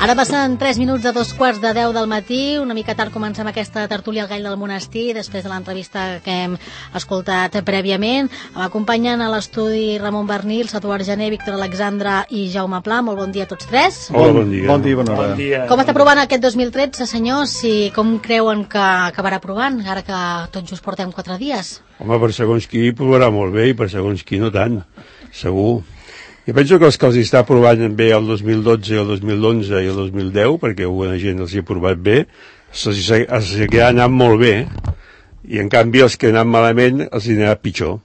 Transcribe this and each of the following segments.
Ara passen 3 minuts de 2:15 del matí, una mica tard comencem aquesta tertúlia al Gall del Monestir, després de l'entrevista que hem escoltat prèviament. M'acompanyen a l'estudi Ramon Bernil, Satuar Gené, Víctor Alexandra i Jaume Pla. Molt bon dia a tots tres. Hola, bon dia. Bon dia, bona hora. Bon dia. Com està provant aquest 2013, senyors, i com creuen que acabarà provant, ara que tot just portem 4 dies? Home, per segons qui provarà molt bé i per segons qui no tant, segur. Jo penso que els que els està provant bé el 2012, el 2011 i el 2010, perquè alguna gent els hi ha provat bé, se'ls seguirà anant molt bé, i en canvi els que han anat malament els hi anirà pitjor.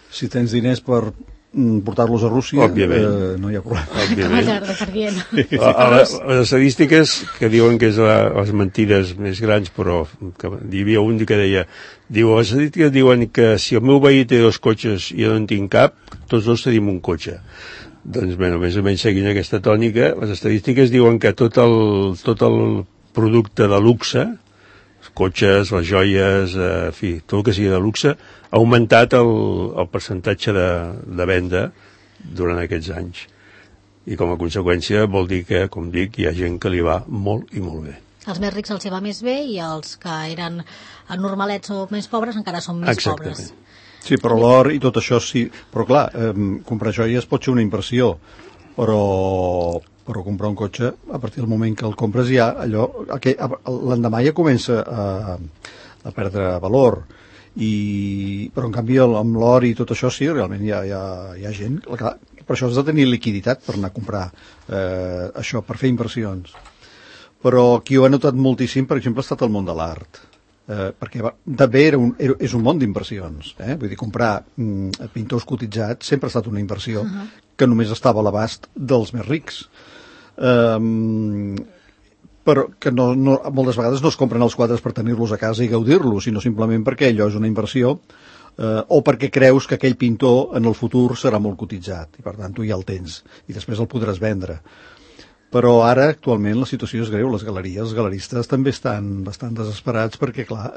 Si tens diners per portar-los a Rússia, no hi ha problema. Les estadístiques que diuen que és les mentides més grans, però que hi havia un que deia, les estadístiques diuen que si el meu veí té 2 cotxes i jo no en tinc cap, tots dos tenim un cotxe. Doncs bé, més o menys seguint aquesta tònica, les estadístiques diuen que tot el producte de luxe, els cotxes, les joies, en fi, tot el que sigui de luxe, ha augmentat el percentatge de venda durant aquests anys. I com a conseqüència vol dir que, com dic, hi ha gent que li va molt i molt bé. Els més rics els hi va més bé i els que eren normalets o més pobres encara són més pobres. Sí, però l'or i tot això sí. Però clar, comprar joies pot ser una inversió, però comprar un cotxe, a partir del moment que el compres ja, l'endemà ja comença a perdre valor. Però en canvi amb l'or i tot això sí, realment hi ha gent. Clar, per això has de tenir liquiditat per anar a comprar això, per fer inversions. Però qui ho ha notat moltíssim, per exemple, ha estat el món de l'art. Perquè també és un món d'inversions. Vull dir, comprar pintors cotitzats sempre ha estat una inversió que només estava a l'abast dels més rics. Però que moltes vegades no es compren els quadres per tenir-los a casa i gaudir-los, sinó simplement perquè allò és una inversió o perquè creus que aquell pintor en el futur serà molt cotitzat i per tant tu ja el tens i després el podràs vendre. Però ara actualment la situació és greu, les galeries, els galeristes també estan bastant desesperats perquè clar,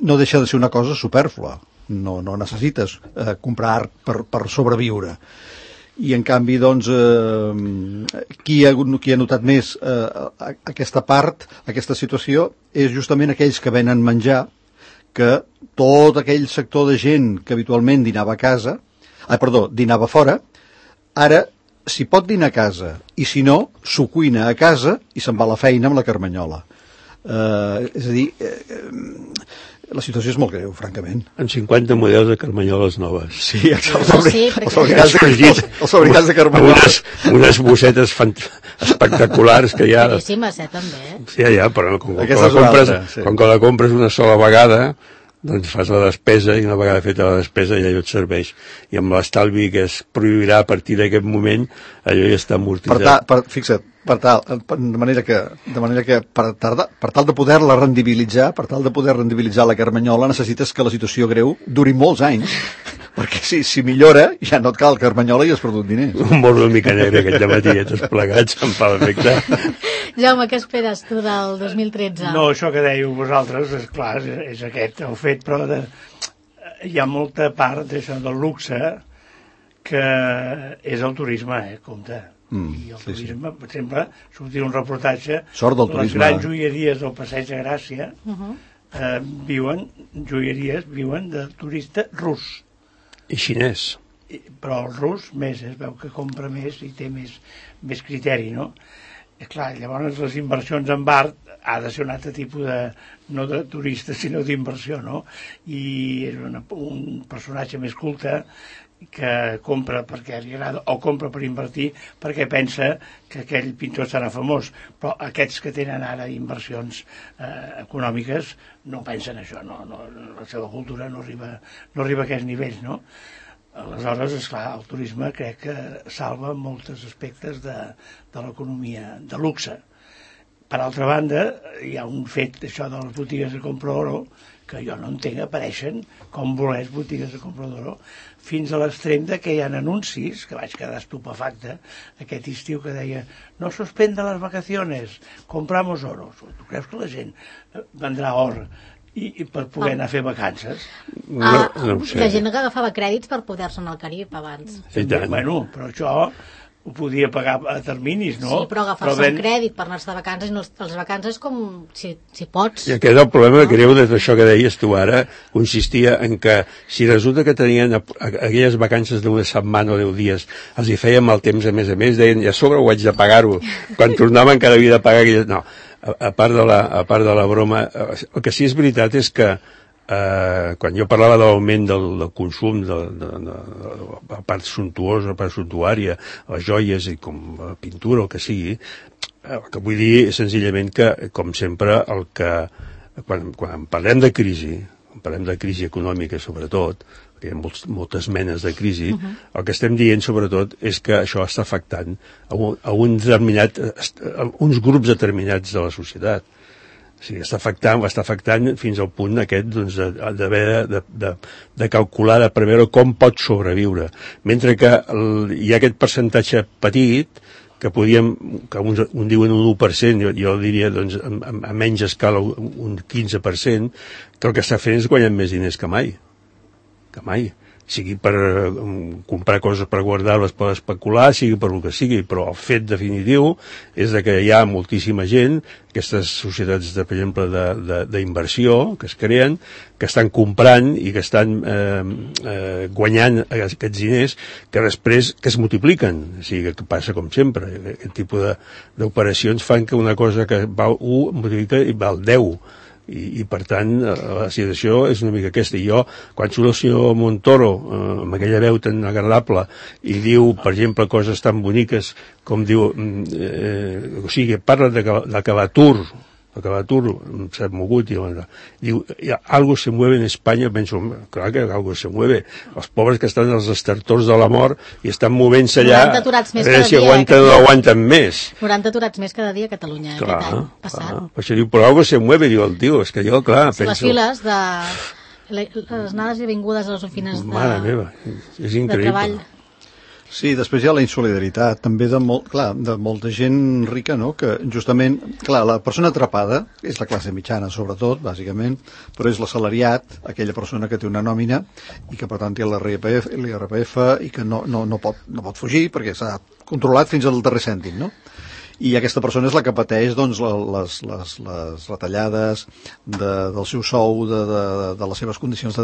no deixa de ser una cosa supèrflua, no necessites comprar art per sobreviure. I en canvi, doncs, qui ha notat més aquesta part, aquesta situació, és justament aquells que venen menjar, que tot aquell sector de gent que habitualment dinava fora, ara, si pot dinar a casa, i si no, s'ho cuina a casa i se'n va a la feina amb la carmanyola. És a dir, la situació és molt greu, francament. Amb 50 models de carmanyoles noves. Sí, els fabricants de carmanyoles. Unes bossetes espectaculars que hi ha. Caríssimes, també. Sí, però com que la compres una sola vegada, doncs fas la despesa i una vegada feta la despesa ja allò et serveix. I amb l'estalvi que es prohibirà a partir d'aquest moment, allò ja està amortitzat. Fixa't, de manera que per tal de poder-la rendibilitzar, la carmanyola, necessites que la situació greu duri molts anys, perquè si millora ja no et cal carmanyola i has perdut diners. Un món una mica negre aquest dematí, tots plegats, em fa l'efecte. Jaume, què esperes tu del 2013? No, això que dèieu vosaltres, és clar, és aquest el fet, però hi ha molta part d'això del luxe que és el turisme, compte. I el turisme, per exemple, sortir un reportatge, les grans joieries del Passeig de Gràcia viuen de turista rus. I xinès. Però el rus més, es veu que compra més i té més criteri, no? Clar, llavors les inversions en art ha de ser un altre tipus no de turista, sinó d'inversió, no? I és un personatge més culte que compra perquè li agrada o compra per invertir perquè pensa que aquell pintor serà famós, però aquests que tenen ara inversions econòmiques no pensen això, la seva cultura no arriba a aquests nivells, no? Aleshores, esclar, el turisme crec que salva molts aspectes de l'economia de luxe. Per altra banda, hi ha un fet d'això de les botigues de compra d'oro que jo no entenc, apareixen com volers botigues de compra d'oro, fins a l'extrem que hi ha anuncis, que vaig quedar estupefacte aquest estiu, que deia no suspenda les vacaciones, compramos oro. Tu creus que la gent vendrà or i per poder anar a fer vacances? No ho sé. La gent que agafava crèdits per poder-se anar al Carib abans. Bueno, però això ho podia pagar a terminis, no? Sí, però agafar-se un crèdit per anar-se de vacances, no, les vacances com si pots. I aquest el problema greu d'això que deies tu ara consistia en que si resulta que tenien aquelles vacances d'una setmana o 10 dies, els hi feien mal temps a més, deien, i a sobre ho haig de pagar-ho. Quan tornaven cada havia de pagar aquelles... No, a part de la broma, el que sí és veritat és que quan jo parlava de l'augment del consum de la part suntuosa, la part suntuària, les joies i com la pintura, el que sigui, el que vull dir és senzillament que, com sempre, quan parlem de crisi econòmica sobretot, perquè hi ha moltes menes de crisi, el que estem dient sobretot és que això està afectant a uns grups determinats de la societat. O sigui, està afectant fins al punt aquest d'haver de calcular, de preveure com pot sobreviure. Mentre que hi ha aquest percentatge petit que un diuen un 1%, jo diria a menys escala un 15%, que el que està fent és guanyar més diners que mai. Sigui per comprar coses per guardar-les, per especular, sigui per el que sigui, però el fet definitiu és que hi ha moltíssima gent, aquestes societats, per exemple, d'inversió que es creen, que estan comprant i que estan guanyant aquests diners que després que es multipliquen. O sigui, que passa com sempre. Aquest tipus d'operacions fan que una cosa que val 1 multiplica i val 10. I per tant la situació és una mica aquesta. I jo, quan surt el senyor Montoro amb aquella veu tan agradable i diu, per exemple, coses tan boniques com diu, o sigui, parla d'acabar l'atur, s'ha mogut i diu, algo se mueve en Espanya. Penso, clar que algo se mueve, els pobres que estan als estertors de la mort i estan movent-se allà, a veure si aguanten o no aguanten més. 90 aturats més cada dia a Catalunya aquest any passat. Per això diu, però algo se mueve, diu el tio, és que jo, clar, penso... Les files de les anades i vingudes a les oficines mare meva, és increïble. De treball. Sí, després hi ha la insolidaritat també de molta gent rica, no? Que justament, clar, la persona atrapada és la classe mitjana sobretot, bàsicament, però és l'assalariat, aquella persona que té una nòmina i que per tant té l'IRPF i que no pot fugir perquè s'ha controlat fins al darrer cèntim, no? I aquesta persona és la que pateix doncs, les retallades del seu sou, de les seves condicions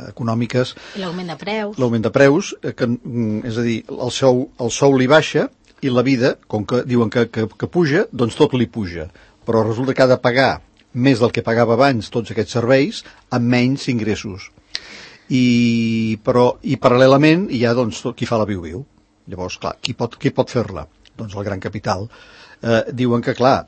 econòmiques. I l'augment de preus. L'augment de preus, és a dir, el sou li baixa i la vida, com que diuen que puja, doncs tot li puja. Però resulta que ha de pagar més del que pagava abans tots aquests serveis amb menys ingressos. I paral·lelament hi ha doncs, qui fa la viu-viu. Llavors, clar, qui pot fer-la? Doncs el gran capital. Diuen que, clar,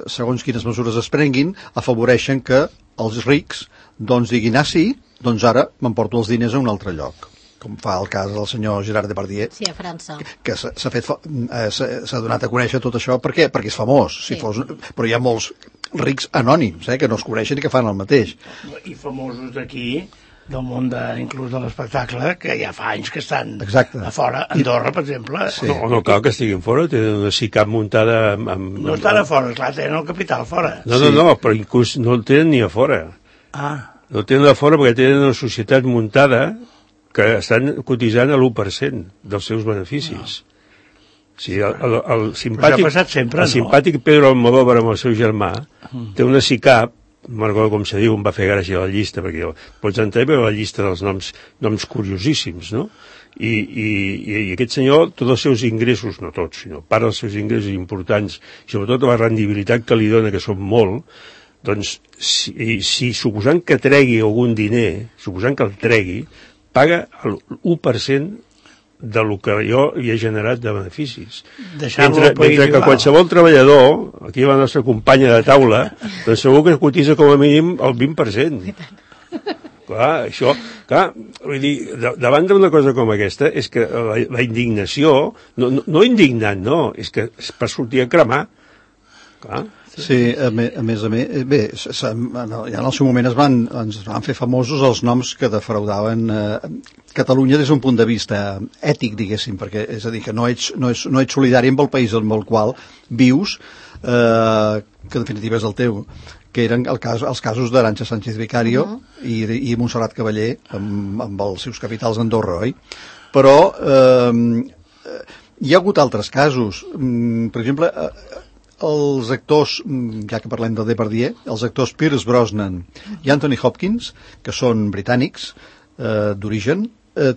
segons quines mesures es prenguin, afavoreixen que els rics doncs diguin, sí, doncs ara m'emporto els diners a un altre lloc. Com fa el cas del senyor Gerard Depardieu. Sí, a França. Que s'ha donat a conèixer tot això. Per què? Perquè és famós. Sí. Però hi ha molts rics anònims, que no es coneixen i que fan el mateix. I famosos d'aquí, del món inclús de l'espectacle, que ja fa anys que estan a fora. Andorra, per exemple. Sí. No cal que estiguin fora, tenen una SICAP muntada... No estan a fora, clar, tenen el capital fora. No, però inclús no el tenen ni a fora. No el tenen a fora perquè tenen una societat muntada que estan cotitzant a l'1% dels seus beneficis. Sí, el simpàtic Pedro Almodóvar amb el seu germà té una SICAP, no recordo com se diu, em va fer gràcia la llista, perquè pots entrar per la llista dels noms curiosíssims, no? I aquest senyor, tots els seus ingressos, no tots, sinó part dels seus ingressos importants, i sobretot la rendibilitat que li dona, que són molt, doncs, si suposant que tregui algun diner, suposant que el tregui, paga l'1% de lo que jo hi he generat de beneficis. Mentre que qualsevol treballador, aquí la nostra companya de taula, doncs segur que cotitza com a mínim el 20%. Clar, vull dir, davant d'una cosa com aquesta, és que la indignació, no indignant, no, és que és per sortir a cremar. Clar. Sí, a més, bé, ja en el seu moment ens van fer famosos els noms que defraudaven Catalunya des d'un punt de vista ètic, diguéssim, perquè és a dir, que no ets solidari amb el país en el qual vius, que en definitiva és el teu, que eren els casos d'Arantxa Sánchez Vicario i Montserrat Cavaller amb els seus capitals a Andorra, oi? Però Hi ha hagut altres casos. Per exemple, els actors, ja que parlem de Depardieu, els actors Pierce Brosnan i Anthony Hopkins, que són britànics d'origen,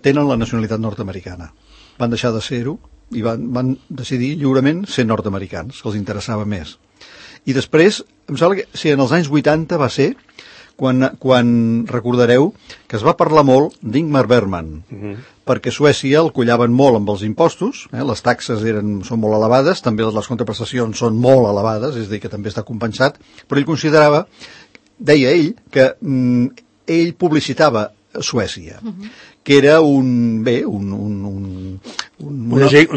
tenen la nacionalitat nord-americana. Van deixar de ser-ho i van decidir lliurement ser nord-americans, que els interessava més. I després, em sembla que en els anys 80 va ser quan recordareu que es va parlar molt d'Ingmar Bergman, perquè a Suècia el collaven molt amb els impostos, les taxes són molt elevades, també les contraprestacions són molt elevades, és a dir, que també està compensat, però ell considerava, deia ell, que ell publicitava Suècia, que era un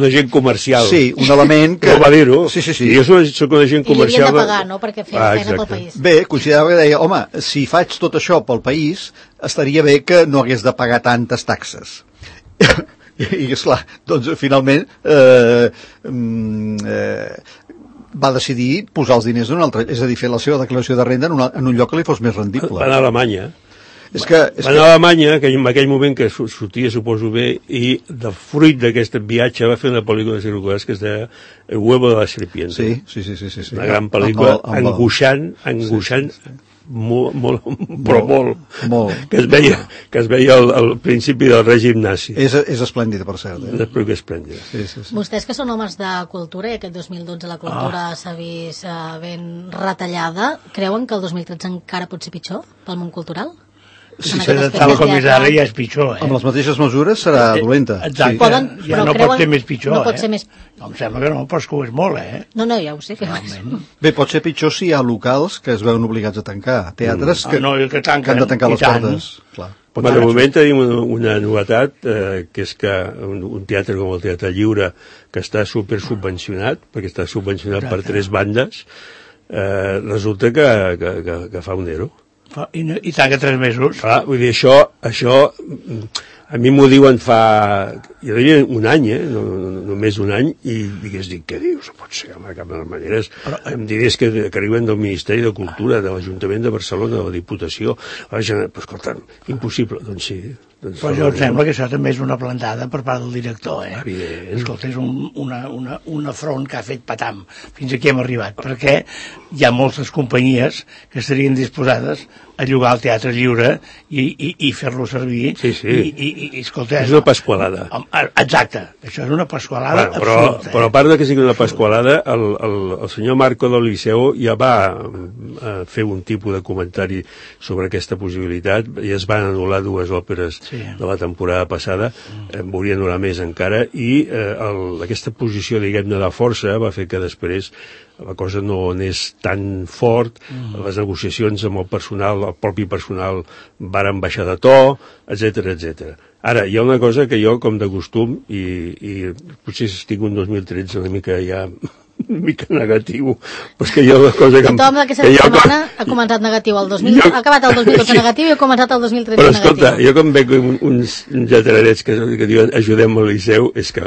agent comercial. Sí, un element que... No va dir-ho. Sí. I jo soc un agent comercial... I li havien de pagar, no?, perquè feia feina pel país. Bé, considerava que deia, home, si faig tot això pel país, estaria bé que no hagués de pagar tantes taxes. I esclar, doncs finalment va decidir posar els diners d'un altre, és a dir, fer la seva declaració de renda en un lloc que li fos més rendible. Va anar a Alemanya. Va anar a Alemanya, que en aquell moment que sortia, suposo bé, i de fruit d'aquest viatge va fer una pel·lícula de Circular que es deia El huevo de la serpiente. Sí. Una gran pel·lícula angoixant, molt, que es veia al principi del règim nazi. És esplèndida, per cert. És esplèndida. Sí. Vostès que són homes de cultura i aquest 2012 la cultura s'ha vist ben retallada, creuen que el 2013 encara pot ser pitjor pel món cultural? Si s'ha de tal com és ara ja és pitjor, Amb les mateixes mesures serà dolenta. Exacte, ja no pot ser més pitjor, no pot ser més... Em sembla que no, però és que ho és molt, No, ja ho sé que Bé, pot ser pitjor si hi ha locals que es veuen obligats a tancar, teatres que han de tancar les portes. Clar. De moment tenim una novetat, que és que un teatre com el Teatre Lliure, que està supersubvencionat, perquè està subvencionat per 3 bandes, resulta que fa un ero. I tanca 3 mesos. Clar, vull dir, això a mi m'ho diuen fa... Jo diria un any, només un any, i dic, què dius? Pot ser, home, de cap de les maneres. Em diries que arriben del Ministeri de Cultura, de l'Ajuntament de Barcelona, de la Diputació. Però, escolta, impossible. Doncs sí. Però jo em sembla que això també és una plantada per part del director, Evident. Escolta, és un afront que ha fet patam. Fins aquí hem arribat, perquè hi ha moltes companyies que estarien disposades a llogar el Teatre Lliure i fer-lo servir. Sí. I escolta... És una pasqualada. Exacte, això és una pasqualada absoluta. Però a part de que sigui una pasqualada, el senyor Marco del Liceu ja va fer un tipus de comentari sobre aquesta possibilitat, i es van anul·lar 2 òperes de la temporada passada, en volien durar més encara, i aquesta posició, diguem-ne, de força va fer que després la cosa no anés tan fort, les negociacions amb el personal, el propi personal, varen baixar de to, etc. Ara, hi ha una cosa que jo, com de costum, i potser estic un 2013 una mica negatiu, però és que hi ha una cosa que... Tothom d'aquesta setmana ha començat negatiu, ha acabat el 2012 negatiu i ha començat el 2013 negatiu. Però escolta, jo com veig uns lletradets que diuen ajudem al Liceu, és que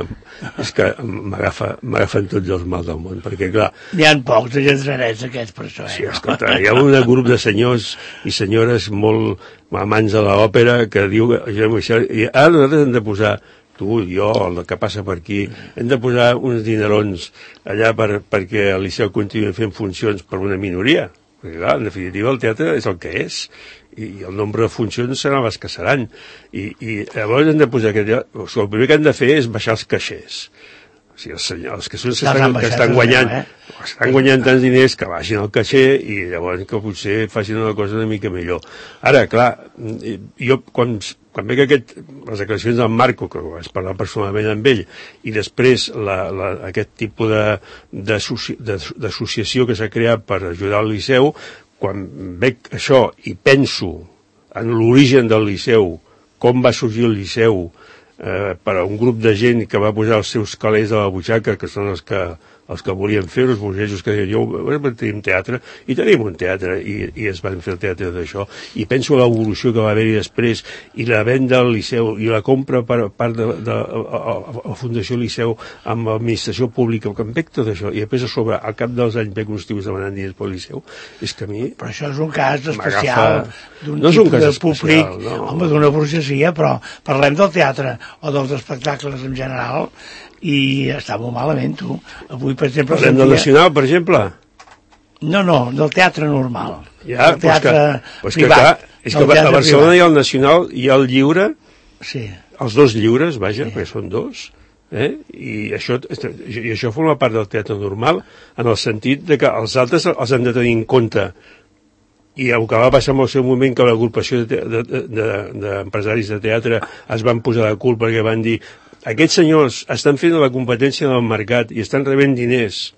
m'agafen tots els mals del món, perquè clar... N'hi ha pocs de lletradets aquests, per això, Sí, escolta, hi ha un grup de senyors i senyores molt amants de l'òpera que diu i ara nosaltres hem de posar el que passa per aquí, hem de posar uns dinerons allà perquè el Liceu continuï fent funcions per una minoria, perquè clar, en definitiva el teatre és el que és, i el nombre de funcions seran les que seran, i llavors hem de posar el primer que hem de fer és baixar els caixers. O sigui, els que estan guanyant tants diners que baixin el caixer i llavors que potser facin una cosa una mica millor. Ara, clar, jo quan veig les declaracions del Marco, que vaig parlar personalment amb ell, i després aquest tipus d'associació que s'ha creat per ajudar el Liceu, quan veig això i penso en l'origen del Liceu, com va sorgir el Liceu, per a un grup de gent que va posar els seus calés a la butxaca, que són els que els que volien fer, els burgesos que deien, tenim teatre, i tenim un teatre, i es van fer el teatre d'això, i penso l'evolució que va haver-hi després, i la venda al Liceu, i la compra per part de la Fundació Liceu amb l'administració pública, que em veig tot això, i després a sobre, al cap dels anys veig uns tios demanant diners pel Liceu, és que a mi... Però això és un cas especial d'un tipus de públic, home, d'una burgesia, però parlem del teatre o dels espectacles en general, i està molt malament, tu. Avui, per exemple... Parlem del Nacional, per exemple? No, del teatre normal. Ja, del teatre privat. És que a Barcelona hi ha el Nacional, hi ha el Lliure, els dos lliures, vaja, perquè són dos, i això forma part del teatre normal, en el sentit de que els altres els han de tenir en compte. I el que va passar en el seu moment, que l'agrupació d'empresaris de teatre es van posar de cul perquè van dir aquests senyors estan fent la competència del mercat i estan rebent diners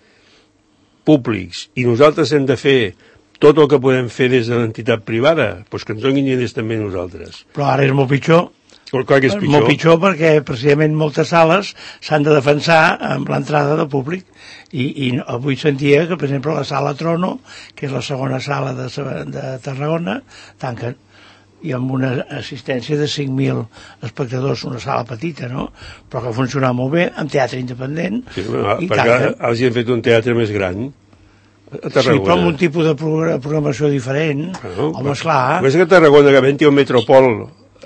públics i nosaltres hem de fer tot el que podem fer des de l'entitat privada, doncs que ens donin diners també nosaltres. Però ara és molt pitjor. Clar que és pitjor. Molt pitjor perquè precisament moltes sales s'han de defensar amb l'entrada del públic i avui sentia que, per exemple, la sala Trono, que és la segona sala de Tarragona, tanquen, i amb una assistència de 5.000 espectadors, una sala petita, no? Però que funciona molt bé, amb teatre independent. Sí, perquè els hi han fet un teatre més gran a Tarragona. Sí, però amb un tipus de programació diferent. Home, esclar. És que a Tarragona, que havent-hi un metropol,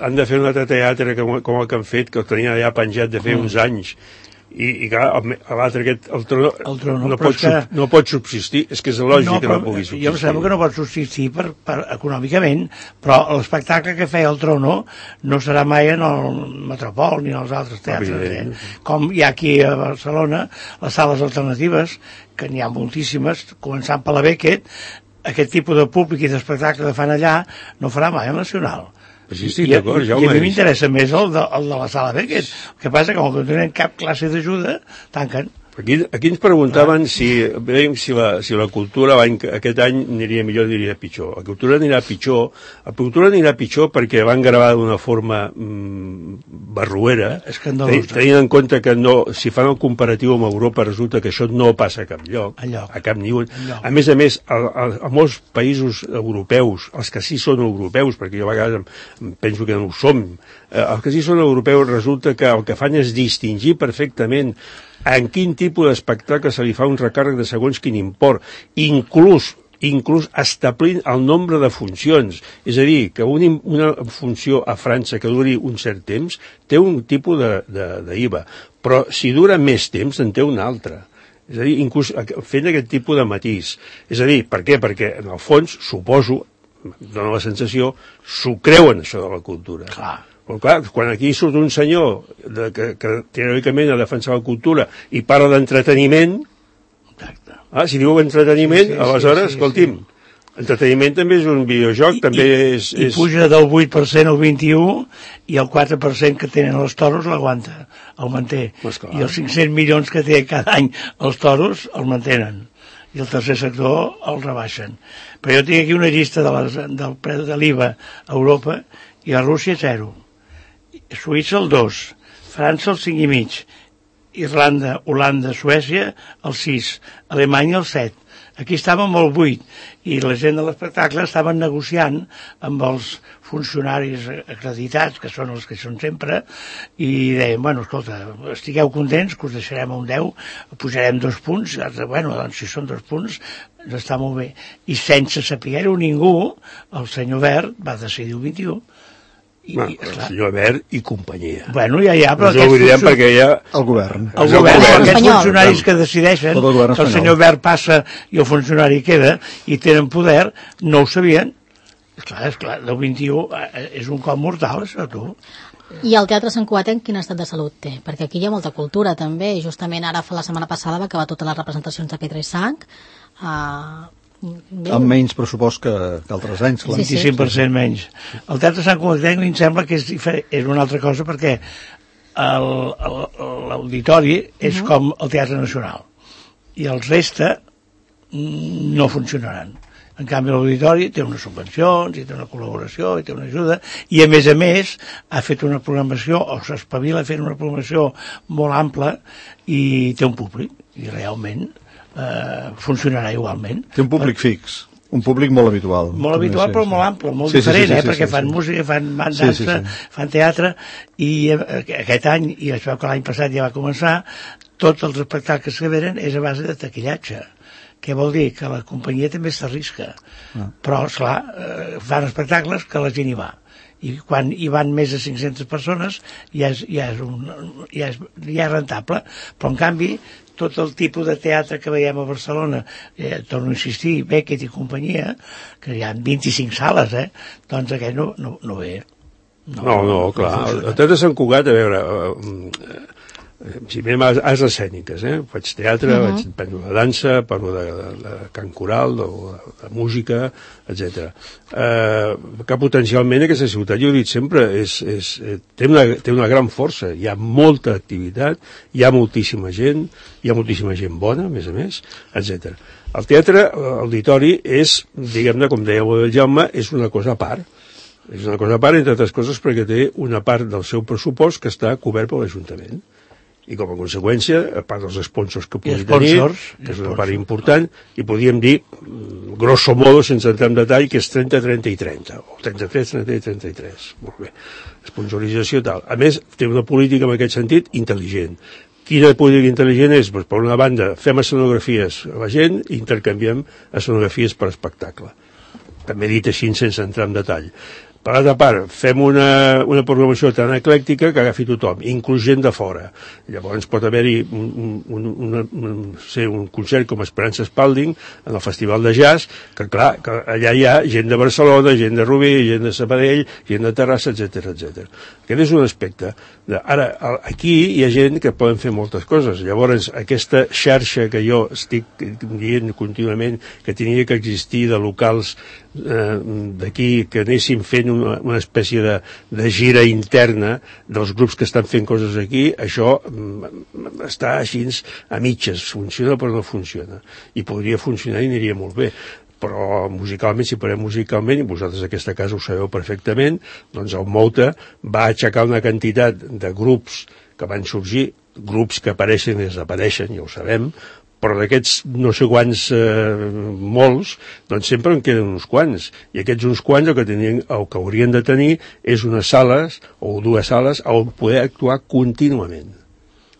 han de fer un altre teatre com el que han fet, que el tenien allà penjat de fer uns anys. I clar, l'altre aquest, el Trono no pot subsistir, és que és lògic que no pugui subsistir. Jo em sembla que no pot subsistir econòmicament, però l'espectacle que feia el Trono no serà mai en el Metropol ni en els altres teatres. Com hi ha aquí a Barcelona les sales alternatives, que n'hi ha moltíssimes, començant per la Beckett, aquest tipus de públic i d'espectacle que fan allà no farà mai el Nacional. Sí, d'acord, I a mi m'interessa més el de la sala Beckett. El que passa que com que no tenen cap classe d'ajuda, tanquen. Aquí ens preguntaven si la cultura aquest any aniria millor o aniria pitjor. La cultura anirà pitjor perquè van gravar d'una forma barruera, tenint en compte que si fan el comparatiu amb Europa resulta que això no passa a cap lloc, a cap ni un. A més, a molts països europeus, els que sí són europeus, perquè jo a vegades penso que no ho som, els que sí són europeus resulta que el que fan és distingir perfectament en quin tipus d'espectacle se li fa un recàrrec de segons quin import, inclús establint el nombre de funcions. És a dir, que una funció a França que duri un cert temps té un tipus d'IVA, però si dura més temps en té un altre. És a dir, inclús fent aquest tipus de matís. És a dir, per què? Perquè, en el fons, suposo, dona la sensació, s'ho creuen, això de la cultura. Clar. Però clar, quan aquí surt un senyor que teòricament ha de defensar la cultura i parla d'entreteniment, si diu entreteniment, aleshores, escolti'm, entreteniment també és un videojoc, també és... I puja del 8% al 21% i el 4% que tenen els toros l'aguanta, el manté. I els 500 milions que té cada any els toros el mantenen. I el tercer sector el rebaixen. Però jo tinc aquí una llista del preu de l'IVA a Europa i a Rússia 0. Suïssa el 2, França el 5,5, Irlanda, Holanda, Suècia el 6, Alemanya el 7. Aquí estàvem al 8 i la gent de l'espectacle estaven negociant amb els funcionaris acreditats, que són els que són sempre, i deien, bueno, escolta, estigueu contents, que us deixarem un 10, pujarem 2 punts, bueno, doncs si són 2 punts, està molt bé. I sense saber-ho ningú, el senyor Wert va decidir el 21. El senyor Wert i companyia. Bueno, ja, però no ho direm perquè ja... El govern. Aquests funcionaris que decideixen que el senyor Wert passa i el funcionari queda i tenen poder, no ho sabien. És clar, del 21 és un cop mortal, això, tu. I el Teatre Sant Cugatenc quin estat de salut té? Perquè aquí hi ha molta cultura, també, i justament ara, la setmana passada, va acabar totes les representacions de Pedra i Sang, amb menys pressupost que altres anys, clar. 25% menys. El Teatre Sant Cugatenc em sembla que és una altra cosa perquè l'auditori és com el Teatre Nacional i els resta no funcionaran. En canvi, l'auditori té unes subvencions, i té una col·laboració, i té una ajuda, i a més ha fet una programació, o s'espavila fent una programació molt ampla, i té un públic, i realment funcionarà igualment. Té un públic fix. Un públic molt habitual. Molt habitual, però molt ample, molt diferent, perquè fan música, fan dansa, fan teatre, i aquest any, i es veu que l'any passat ja va començar, tots els espectacles que venen és a base de taquillatge. Què vol dir? Que la companyia també s'arrisca. Però, esclar, fan espectacles que la gent hi va. I quan hi van més de 500 persones ja és rentable. Però, en canvi, tot el tipus de teatre que veiem a Barcelona, torno a insistir, Beckett i companyia, que hi ha 25 sales, doncs aquest no ve. No, clar. El Teatre Sant Cugat, a veure, si anem a arts escèniques, faig teatre, parlo de dansa, parlo de cant coral, de música, etc. Que potencialment aquesta ciutat, jo ho he dit sempre, té una gran força, hi ha molta activitat, hi ha moltíssima gent bona, a més, etc. El teatre, auditori, és, diguem-ne, com deia el Jaume, és una cosa a part. És una cosa a part, entre altres coses, perquè té una part del seu pressupost que està cobert per l'Ajuntament. I com a conseqüència, a part dels sponsors que pugui tenir, que és una part important, i podríem dir, grosso modo, sense entrar en detall, que és 30-30 i 30, o 33-30 i 33. Molt bé. Sponsorització tal. A més, té una política en aquest sentit intel·ligent. Quina política intel·ligent és? Doncs, per una banda, fem escenografies a la gent i intercanviem escenografies per espectacle. També dit així, sense entrar en detall. Per l'altra part, fem una programació tan eclèctica que agafi tothom, inclús gent de fora. Llavors pot haver-hi un concert com Esperança Spalding en el Festival de Jazz, que clar, que allà hi ha gent de Barcelona, gent de Rubí, gent de Sabadell, gent de Terrassa, etc. Aquest és un aspecte. Ara, aquí hi ha gent que poden fer moltes coses. Llavors, aquesta xarxa que jo estic dient contínuament que tenia que existir de locals d'aquí, que anéssim fent una espècie de gira interna dels grups que estan fent coses aquí, això està així a mitges, funciona però no funciona, i podria funcionar i aniria molt bé. Però musicalment, si parlem musicalment, i vosaltres en aquesta casa ho sabeu perfectament, doncs el Mouta va aixecar una quantitat de grups que van sorgir, grups que apareixen i desapareixen, ja ho sabem, però d'aquests no sé quants molts, doncs sempre en queden uns quants, i aquests uns quants el que haurien de tenir és unes sales o dues sales on poder actuar contínuament.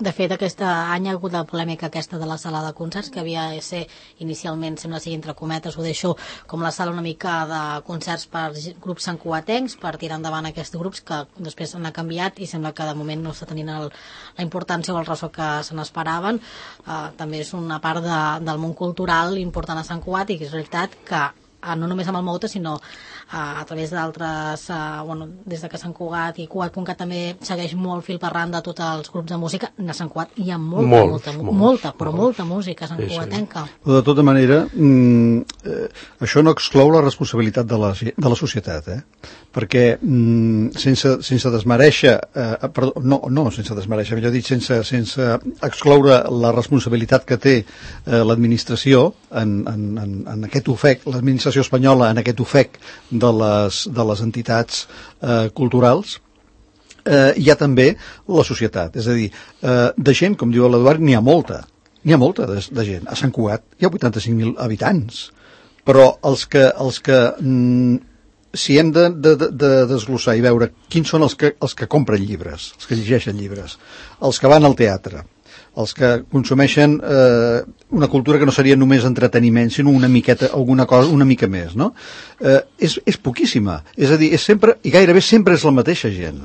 De fet, aquest any ha hagut la polèmica aquesta de la sala de concerts, que havia de ser inicialment, sembla ser entre cometes, ho deixo com la sala una mica de concerts per grups santcugatencs, per tirar endavant aquests grups que després han canviat i sembla que de moment no està tenint la importància o el ressò que se n'esperaven. També és una part del món cultural important a Sant Cugat, i que és veritat que no només amb el Mouta, sinó a través d'altres, des de que Sant Cugat i Cugat.cat també segueix molt fil per randa tots els grups de música. A Sant Cugat hi ha molta música santcugatenca. De tota manera, això no exclou la responsabilitat de la societat, perquè sense desmereixer, sense desmereixer, millor dit, sense excloure la responsabilitat que té l'administració en aquest ofec, l'administració espanyola en aquest ofec de les entitats culturals, hi ha també la societat. És a dir, de gent, com diu l'Eduard, n'hi ha molta de gent. A Sant Cugat hi ha 85.000 habitants, però els que si hem de desglossar i veure quins són els que compren llibres, els que llegeixen llibres, els que van al teatre, els que consumeixen una cultura que no seria només entreteniment, sinó una miqueta, alguna cosa, una mica més, no? És poquíssima. És a dir, és sempre, i gairebé sempre és la mateixa gent.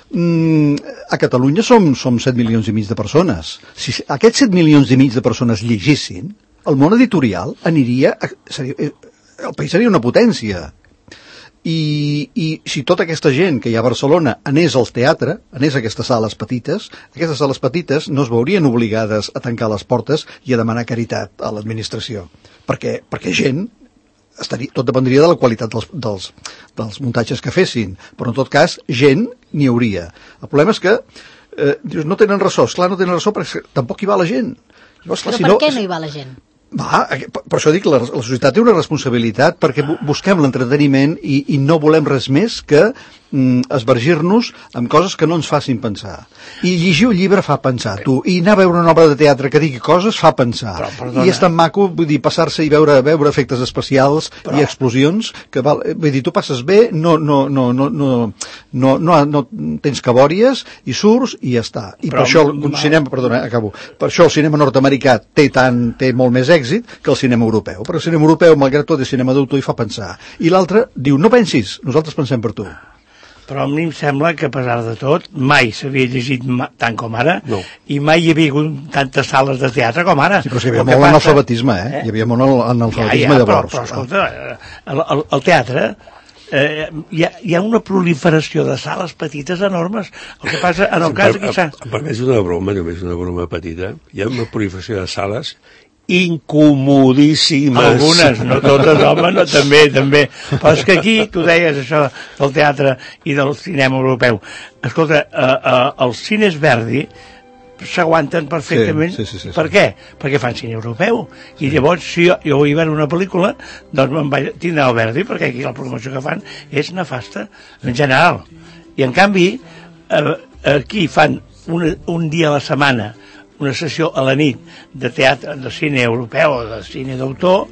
A Catalunya som 7 milions i mig de persones. Si aquests 7 milions i mig de persones llegissin, el món editorial aniria... el país seria una potència. I si tota aquesta gent que hi ha a Barcelona anés al teatre, anés a aquestes sales petites no es veurien obligades a tancar les portes i a demanar caritat a l'administració, perquè gent tot dependria de la qualitat dels muntatges que fessin, però en tot cas gent n'hi hauria. El problema és que dius, no tenen ressò, esclar, no tenen ressò perquè tampoc hi va la gent. Llavors, per què no hi va la gent? Per això dic, la societat té una responsabilitat perquè busquem l'entreteniment i no volem res més que esvergir-nos amb coses que no ens facin pensar. I llegir un llibre fa pensar, tu. I anar a veure una obra de teatre que digui coses fa pensar. I és tan maco, vull dir, passar-se i veure efectes especials i explosions, que vull dir, tu passes bé, no tens cabòries i surts i ja està. I per això el cinema, perdona, acabo, per això el cinema nord-americà té molt més èxit que el cinema europeu. Perquè el cinema europeu, malgrat tot, és cinema d'autor i fa pensar. I l'altre diu, no pensis, nosaltres pensem per tu. Però a mi em sembla que, a pesar de tot, mai s'havia llegit tant com ara, i mai hi havia hagut tantes sales de teatre com ara. Sí, però hi havia molt analfabetisme, Hi havia molt analfabetisme llavors. Però escolta, el teatre, hi ha una proliferació de sales petites enormes. El que passa, en el cas... Per més una broma, només una broma petita, hi ha una proliferació de sales incomodíssimes. Algunes, no totes, home, no, també. Però és que aquí, tu deies això del teatre i del cinema europeu. Escolta, els cines Verdi s'aguanten perfectament. Sí. Per què? Perquè fan cine europeu. I llavors, si jo vull veure una pel·lícula, doncs me'n vaig tindre el Verdi, perquè aquí la promoció que fan és nefasta, en general. I en canvi, aquí fan un dia a la setmana una sessió a la nit de teatre, de cine europeu o de cine d'autor,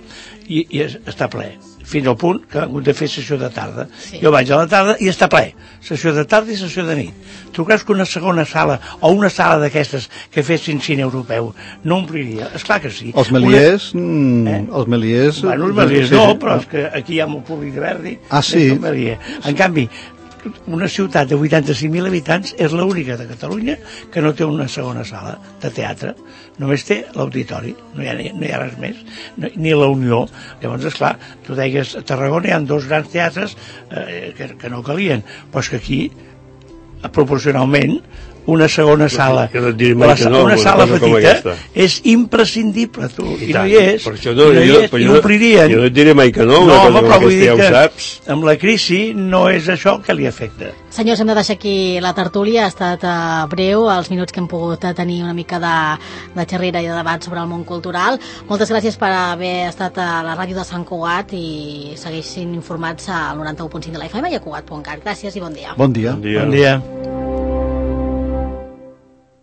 i està ple, fins al punt que han hagut de fer sessió de tarda. Jo vaig a la tarda i està ple, sessió de tarda i sessió de nit. Tu creus que una segona sala o una sala d'aquestes que fessin cine europeu no ompliria? Esclar que sí. Els Méliès... Els Méliès... Bueno, els Méliès no, però és que aquí hi ha molt públic de Verdi. Sí. En canvi, una ciutat de 85.000 habitants és l'única de Catalunya que no té una segona sala de teatre, només té l'auditori, no hi ha res més, ni la Unió. Llavors, esclar, tu deies, a Tarragona hi ha 2 grans teatres que no calien, però és que aquí, proporcionalment, una segona sala, una sala petita, és imprescindible, tu, i no hi és, i omplirien. Jo no et diré mai que no, una cosa com aquesta ja ho saps. Amb la crisi no és això que li afecta. Senyors, hem de deixar aquí la tertúlia, ha estat breu, els minuts que hem pogut tenir una mica de xerrera i de debat sobre el món cultural. Moltes gràcies per haver estat a la ràdio de Sant Cugat i segueixin informats al 91.5 de la FM i a Cugat.cat. Gràcies i bon dia. Bon dia. Bon dia.